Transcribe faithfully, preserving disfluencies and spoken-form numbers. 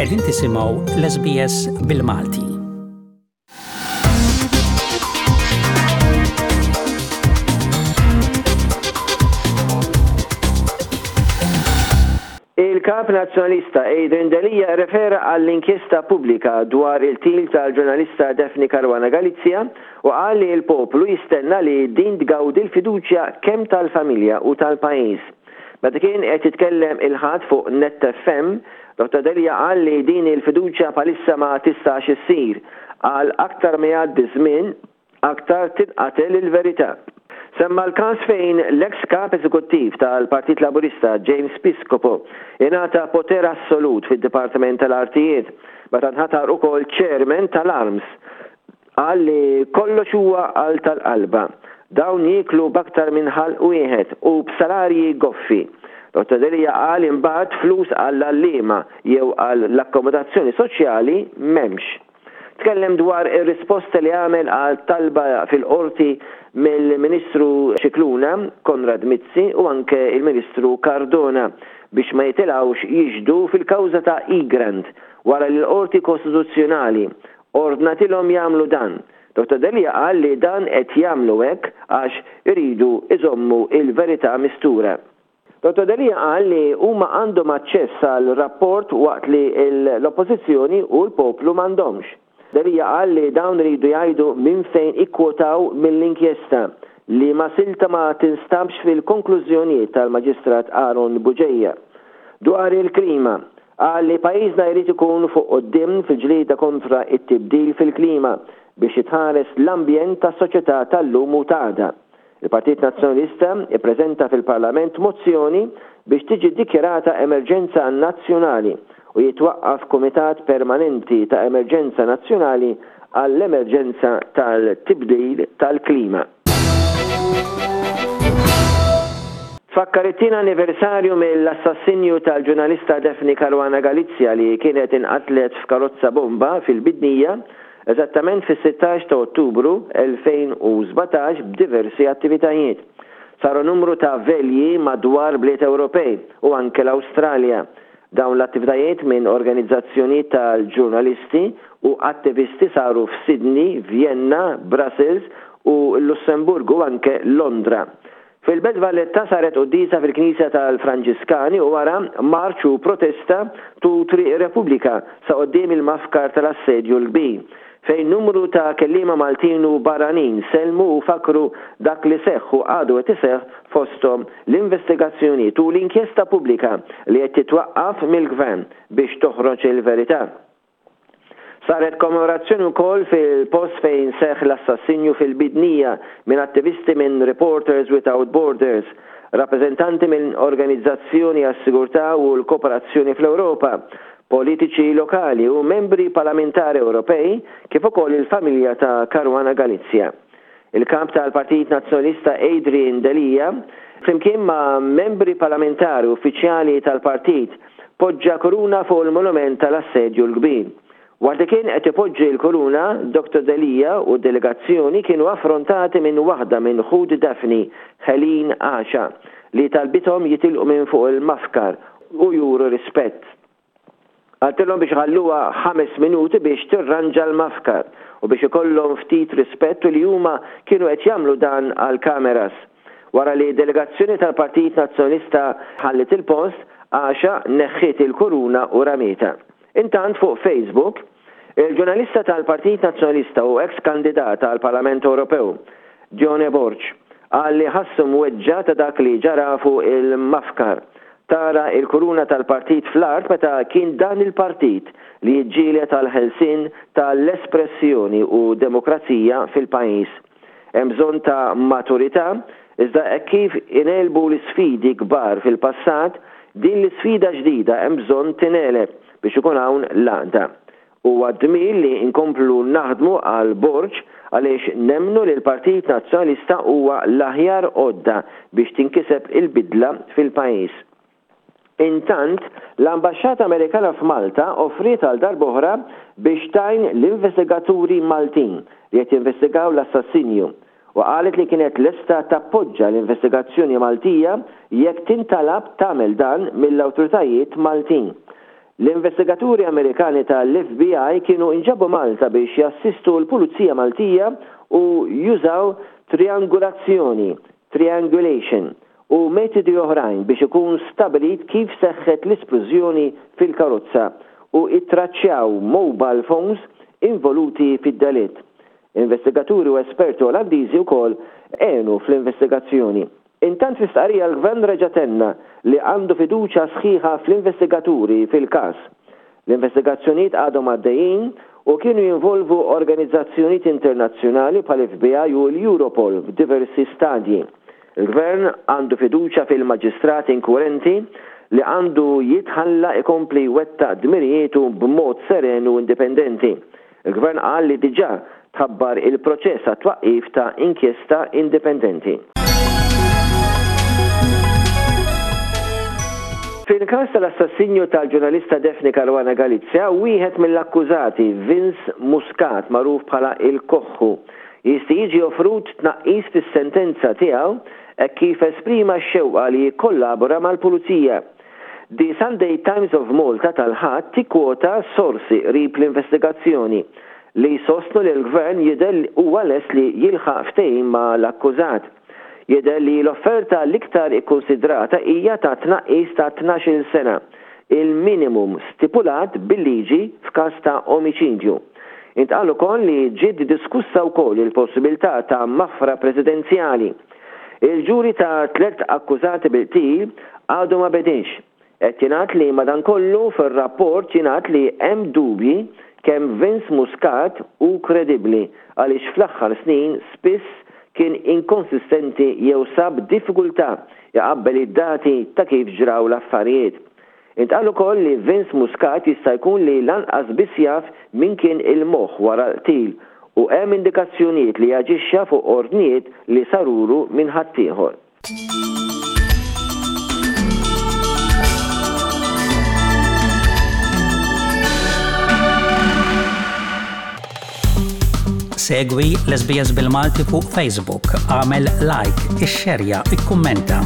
Qegħdin tisimgħu l-S B S bil-Malti. Il-kap Nazzjonalista Adrian Delia refera għall-inkjesta pubblika dwar il-qtil tal-ġurnalista Daphne Caruana Galizia u qal li l-poplu jistenna li din tgawdi l-fiduċja kemm tal-familja u tal-pajjiż. Meta kien qed jitkellem il-Ħadd fuq Net F M, Doktor Delia qal li din il-fiduċja bħalissa ma tistax issir, għal aktar ma jgħaddi żmien aktar tinqatel il-verità. Semma l-każ fejn l-ex kap eżekuttiv tal-Partit Laburista James Piscopo ingħata poter assolut fid-Dipartiment tal-Artijiet meta nħatar ukoll chairman tal-ARMS. Qal li kollox huwa għal tal-qalba. Dawn jieklu b'aktar minn ħalq wieħed u b'salarji goffi. Doktor Delia qal imbagħad flus għall-għalliema jew għall-akkomodazzjoni soċjali m'hemmx. Tkellem dwar ir-risposta li għamel għal talba fil-qorti mill-Ministru Scicluna, Konrad Mizzi u anke il-Ministru Cardona biex ma jitilgħux jixhdu fil-kawża ta' Egrant wara li l-Qorti Kostituzzjonali ordnatilhom jagħmlu dan. Doktor Delia qal li dan qed jagħmlu hekk għax iridu iżommu il-verità mistura. Doktor Delia qal li huma għandhom aċċess għal rapport waqt li l-oppożizzjoni u l-poplu m'għandhomx. Delia qal li dawn iridu jgħidu minn fejn ikkwotaw mill-inkjesta li ma silta ma tinstabx fil-konklużjonijiet tal-Maġistrat Aaron Bugeja. Dwar il-klima, qal li pajjiżna jrid ikun fuq quddiem fil-ġlieda kontra it-tibdil fil-klima biex jitħares l-ambjent tas-soċjetà tal-lum u t'għada. Il-Partit Nazzjonalista ippreżenta fil-Parlament mozzjoni biex tiġi dikjarata emerġenza nazzjonali u jitwaqqaf Kumitat Permanenti ta' Emerġenza Nazzjonali għall-emerġenza tal-tibdil tal-klima. Tfakkar it-tieni anniversarju mill-assassinju tal-ġurnalista Daphne Caruana Galizia li kienet inqatlet f'karozza bomba fil-Bidnija eżattament fis-sittax ta' Ottubru elfejn u sbatax b'diversi attivitajiet. Saru numru ta' velji madwar bliet Ewropej u anke l-Awstralja. Dawn l-attivitajiet minn organizzazzjoni tal-ġurnalisti u attivisti saru f'Sydney, Vienna, Brussels u Lussemburgu, anke Londra. Fil-Belt Valletta saret quddiesa fil-Knisja tal-Franġiskani u wara marċ u protesta tul Triq Repubblika sa quddiem il-mafkar tal-Assedju l-Kbir, fejn numru ta' kelliema Maltin u barranin sellmu u fakru dak li seħħ u għadu qed iseħħ, fosthom l-investigazzjoni u l-inkjesta pubblika li qed titwaqqaf mill-gvern biex toħroġ il-verità. Saret kommemorazzjoni wkoll fil-post fejn seħ l-assassinju fil-Bidnija minn attivisti minn Reporters Without Borders, rappresentanti minn Organizzazzjoni għas-Sigurtà u l-Kooperazzjoni fl-Ewropa, politiċi lokali u membri parlamentari Ewropej, kif ukoll il-familja ta' Caruana Galizia. Il-kap tal-Partit Nazzjonalista Adrian Delia, flimkien ma' membri parlamentari, uffiċjali tal-partit, poġġa kuruna fuq il-monument tal-Assedju l-Kbir. Waqt li kien qed ipoġġi l-kuruna, Doktor Delia u delegazzjoni kienu affrontati minn waħda minn ħut Daphne, Helene Asha, li talbithom jitilqu minn fuq il-mafkar u juru rispett. Qaltilhom biex ħalluha ħames minuti biex tirranġa l-mafkar u biex ikollhom ftit rispett u li huma kienu qed jagħmlu dan għal kameras. Wara li delegazzjoni tal-Partit Nazzjonalista ħallit il-post, Asha neħħiet il-kuruna u ramietha. Intant, fuq Facebook, il-ġurnalista tal-Partit Nazzjonalista u ex-kandidata għal Parlament Ewropew, Dione Borg, qal li ħassu mweġġa' ta' dak li ġara fuq il-mafkar. Tara il-kuruna tal-partit fl-art meta kien dan il-partit li jiġġieled għal ħelsien tal-espressjoni u demokrazija fil-pajjiż. Hemm bżonn ta' maturità, iżda hekk kif ingħelbu l-isfidi kbar fil-passat, din l-isfida ġdida hemm bżonn tingħeleb biex ikun hawn l-għaqda. Huwa dmir li nkomplu naħdmu għal Borg għaliex nemmnu li l-Partit Nazzjonalista huwa l-aħjar għodda biex tinkiseb il-bidla fil-pajjiż. Intant, l-Ambaxxata Amerikana f'Malta offriet għal darb'oħra biex tgħin l-investigaturi Maltin li qed jinvestigaw l-assassinju u qalet li kienet lesta tappoġġa l-investigazzjoni Maltija jekk tintalab tagħmel dan mill-awtoritajiet Maltin. L-investigaturi Amerikani tal-F B I kienu inġabu Malta biex jassistu l-Pulizija Maltija u jużaw triangulazzjoni, triangulation, u metodi oħrajn biex ikun stabilit kif seħħet l-isplużjoni fil-karozza u ittraċċjaw mobile phones involuti fid-delitt. Investigaturi u esperti Olandiżi wkoll għenu fl-investigazzjoni. Intant, fi stqarrija, l-gvern reġa' tenna li għandu fiduċa sħiħa fl-investigaturi fil-każ. L-investigazzjonijiet għadhom għaddejjin u kienu jinvolvu organizzazzjonijiet internazzjonali bħal F B I u l-Europol f'diversi stadji. Il-gvern għandu fiduċa fil-maġistrat inkwirenti li għandu jitħalla ikompli jwettaq dmirijietu b'mod seren u indipendenti. Il-gvern qal li diġà tħabbar il-proċess għat-twaqqif ta' inkjesta indipendenti. Fil-każ tal-assassinju tal-ġurnalista Daphne Caruana Galizia, wieħed mill-akkużati, Vince Muscat, magħruf bħala il-Koħħu, jista' jiġi offrut tnaqqis fis-sentenza tiegħu hekk kif esprima x-xewqa li jikkollabora mal-pulizija. The Sunday Times of Malta tal-Ħadd tikkwota sorsi qrib l-investigazzjoni li sostnu li l-gvern jidher huwa lest li jilħaq ftehim ma l-akkużat. Jidher li l-offerta l-iktar ikkonsidrata hija ta' tnaqqis ta' tnax-il sena, il-minimum stipulat bil-liġi f'każ ta' omiċidju. Intqal ukoll li ġiet diskussa wkoll il-possibilità ta' maħfra presidenzjali. Il-ġuri ta' tliet akkużati bil-qtil għadu ma bediex. Qed jingħad li madankollu fir-rapport jingħad li hemm dubji kemm Vince Muscat hu kredibbli għaliex fl-aħħar snin spiss kien inkonsistenti jew sab diffikultà jaqabbel id-dati ta' kif ġraw l-affarijiet. Intqal ukoll li Vince Muscat jista' jkun li lanqas biss jaf min kien il-moħħ wara l-qtil u hemm indikazzjonijiet li jaġixxa fuq ordnijiet li sarulu minn ħaddieħor. Segwi l-S B S bil-Malti fuq Facebook, għamel like, ixxerja, ikkummenta.